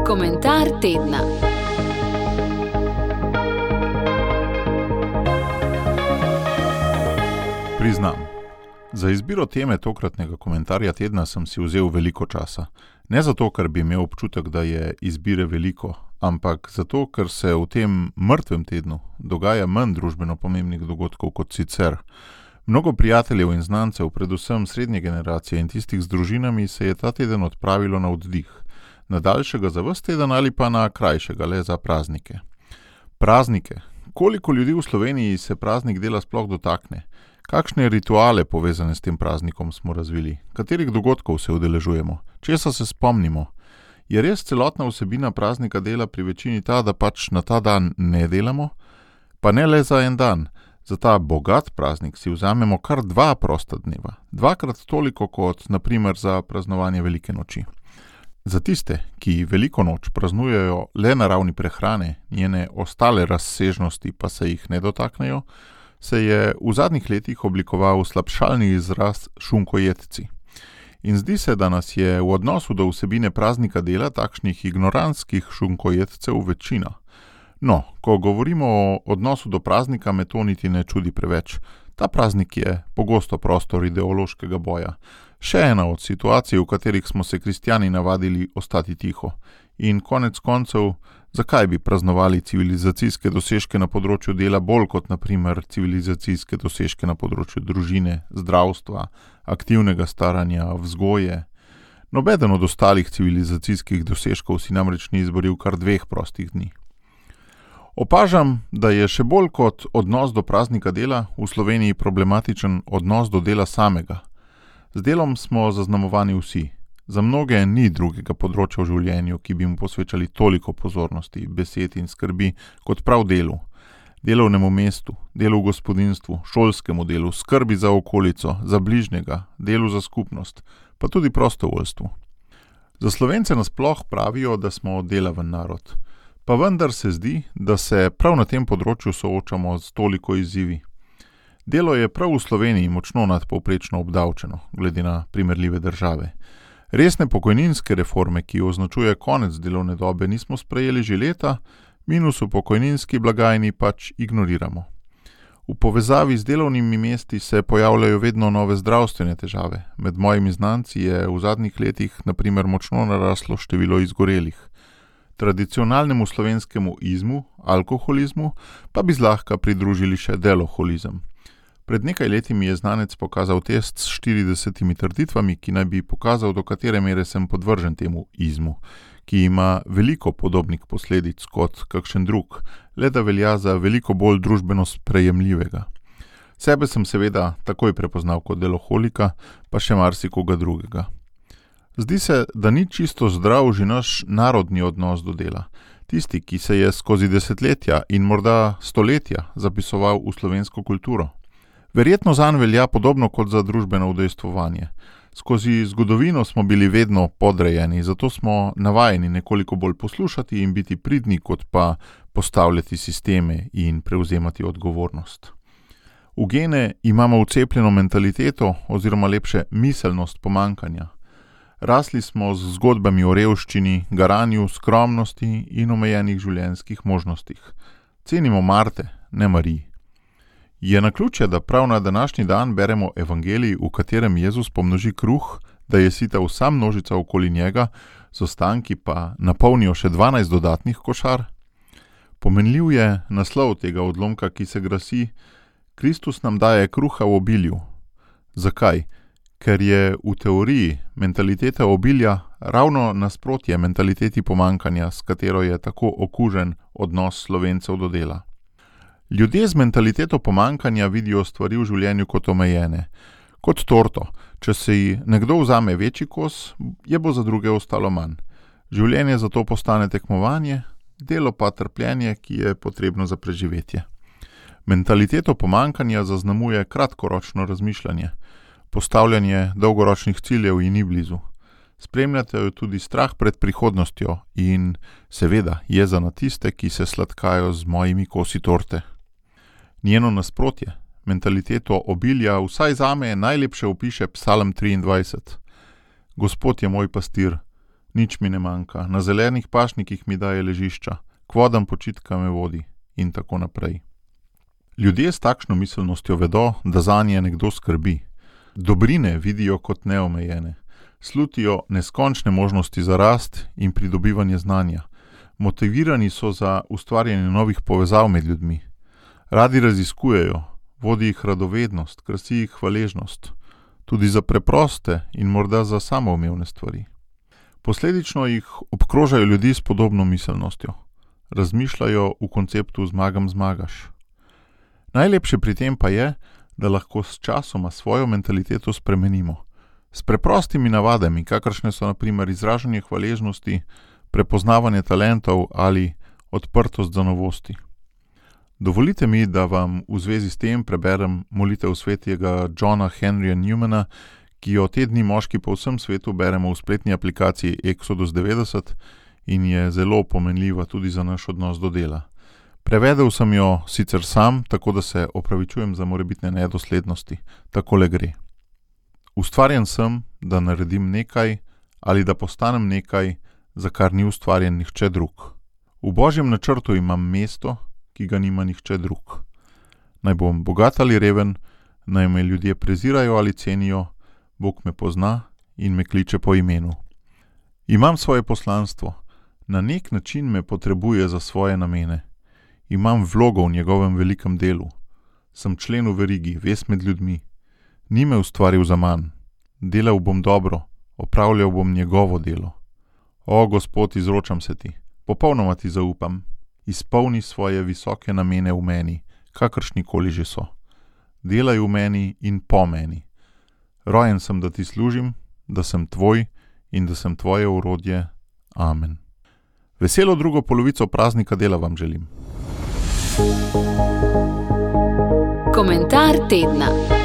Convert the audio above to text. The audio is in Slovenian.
Komentar tedna. Priznam, za izbiro teme tokratnega komentarja tedna sem si vzel veliko časa. Ne zato, ker bi imel občutek, da je izbire veliko, ampak zato, ker se v tem mrtvem tednu dogaja manj družbeno pomembnih dogodkov kot sicer. Mnogo prijateljev in znancev, predvsem srednje generacije in tistih z družinami, se je ta teden odpravilo na oddih. Na daljšega za ves teden ali pa na krajšega le za praznike. Praznike. Koliko ljudi v Sloveniji se praznik dela sploh dotakne? Kakšne rituale povezane s tem praznikom smo razvili? Katerih dogodkov se udeležujemo? Česa se spomnimo? Je res celotna vsebina praznika dela pri večini ta, da pač na ta dan ne delamo? Pa ne le za en dan. Za ta bogat praznik si vzamemo kar 2 prosta dneva. 2krat toliko kot, na primer, za praznovanje velike noči. Za tiste, ki veliko noč praznujejo le na ravni prehrane, njene ostale razsežnosti pa se jih ne dotaknejo, se je v zadnjih letih oblikoval slabšalni izraz šunkojedci. In zdi se, da nas je v odnosu do vsebine praznika dela takšnih ignorantskih šunkojedcev večina. No, ko govorimo o odnosu do praznika, me to niti ne čudi preveč. Ta praznik je pogosto prostor ideološkega boja. Še ena od situacij, v katerih smo se kristjani navadili ostati tiho. In konec koncev, zakaj bi praznovali civilizacijske dosežke na področju dela bolj kot na primer civilizacijske dosežke na področju družine, zdravstva, aktivnega staranja, vzgoje? Nobeden od ostalih civilizacijskih dosežkov si namreč ni izboril kar 2 prostih dni. Opažam, da je še bolj kot odnos do praznika dela v Sloveniji problematičen odnos do dela samega. Z delom smo zaznamovani vsi. Za mnoge ni drugega področja v življenju, ki bi mu posvečali toliko pozornosti, besed in skrbi kot prav delu. Delovnemu mestu, delu v gospodinjstvu, šolskemu delu, skrbi za okolico, za bližnjega, delu za skupnost, pa tudi prostovoljstvu. Za Slovence nasploh pravijo, da smo delaven narod. Pa vendar se zdi, da se prav na tem področju soočamo s toliko izzivi. Delo je prav v Sloveniji močno nadpovprečno obdavčeno, glede na primerljive države. Resne pokojninske reforme, ki označuje konec delovne dobe, nismo sprejeli že leta, minus v pokojninski blagajni pač ignoriramo. V povezavi z delovnimi mesti se pojavljajo vedno nove zdravstvene težave. Med mojimi znanci je v zadnjih letih na primer močno naraslo število izgorelih. Tradicionalnemu slovenskemu izmu, alkoholizmu, pa bi zlahka pridružili še deloholizem. Pred nekaj leti mi je znanec pokazal test s 40 trditvami, ki naj bi pokazal, do katere mere sem podvržen temu izmu, ki ima veliko podobnih posledic kot kakšen drug, le da velja za veliko bolj družbeno sprejemljivega. Sebe sem seveda takoj prepoznal kot deloholika, pa še marsikoga drugega. Zdi se, da ni čisto zdrav že naš narodni odnos do dela. Tisti, ki se je skozi desetletja in morda stoletja zapisoval v slovensko kulturo. Verjetno zanj velja podobno kot za družbeno udejstvovanje. Skozi zgodovino smo bili vedno podrejeni, zato smo navajeni nekoliko bolj poslušati in biti pridni, kot pa postavljati sisteme in prevzemati odgovornost. V gene imamo vcepljeno mentaliteto oziroma lepše miselnost pomanjkanja. Rasli smo z zgodbami o revščini, garanju, skromnosti in omejenih življenjskih možnostih. Cenimo Marte, ne Mariji. Je naključje, da prav na današnji dan beremo evangelij, v katerem Jezus pomnoži kruh, da je sita vsa množica okoli njega, z ostanki pa napolnijo še 12 dodatnih košar? Pomenljiv je naslov tega odlomka, ki se glasi: Kristus nam daje kruha v obilju. Zakaj? Ker je v teoriji mentaliteta obilja ravno nasprotje mentaliteti pomanjkanja, s katero je tako okužen odnos Slovencev do dela. Ljudje z mentaliteto pomanjkanja vidijo stvari v življenju kot omejene. Kot torto, če si nekdo vzame večji kos, je bo za druge ostalo manj. Življenje zato postane tekmovanje, delo pa trpljenje, ki je potrebno za preživetje. Mentaliteto pomanjkanja zaznamuje kratkoročno razmišljanje. Postavljanje dolgoročnih ciljev ji ni blizu. Spremljate jo tudi strah pred prihodnostjo in seveda jeza na tiste, ki se sladkajo z mojimi kosi torte. Njeno nasprotje, mentaliteto obilja, vsaj zame najlepše opiše Psalm 23. Gospod je moj pastir, Nič mi ne manjka, na zelenih pašnikih mi daje ležišča, k vodam počitka me vodi in tako naprej. Ljudje s takšno miselnostjo vedo, da zanje nekdo skrbi. Dobrine vidijo kot neomejene, slutijo neskončne možnosti za rast in pridobivanje znanja. Motivirani so za ustvarjanje novih povezav med ljudmi. Radi raziskujejo, vodi jih radovednost, krasi jih hvaležnost, tudi za preproste in morda za samoumevne stvari. Posledično jih obkrožajo ljudi s podobno miselnostjo. Razmišljajo v konceptu zmagam, zmagaš. Najlepše pri tem pa je, da lahko s časoma svojo mentaliteto spremenimo. S preprostimi navadami, kakršne so na primer izražanje hvaležnosti, prepoznavanje talentov ali odprtost za novosti. Dovolite mi, da vam v zvezi s tem preberem molitev svetega Johna Henryja Newmana, ki jo te dni moški po vsem svetu beremo v spletni aplikaciji Exodus 90 in je zelo pomenljiva tudi za naš odnos do dela. Prevedel sem jo sicer sam, tako da se opravičujem za morebitne nedoslednosti. Takole gre. Ustvarjen sem, da naredim nekaj ali da postanem nekaj, za kar ni ustvarjen nihče drug. V Božjem načrtu imam mesto, ki ga nima nihče drug. Naj bom bogat ali reven, naj me ljudje prezirajo ali cenijo, Bog me pozna in me kliče po imenu. Imam svoje poslanstvo, na nek način me potrebuje za svoje namene. Imam vlogo v njegovem velikem delu. Sem člen v verigi, vez med ljudmi. Ni me ustvaril za manj. Delal bom dobro, opravljal bom njegovo delo. O, Gospod, izročam se ti, popolnoma ti zaupam. Izpolni svoje visoke namene v meni, kakršnikoli že so. Delaj v meni in po meni. Rojen sem, da ti služim, da sem tvoj in da sem tvoje orodje. Amen. Veselo drugo polovico praznika dela vam želim. Komentar tedna.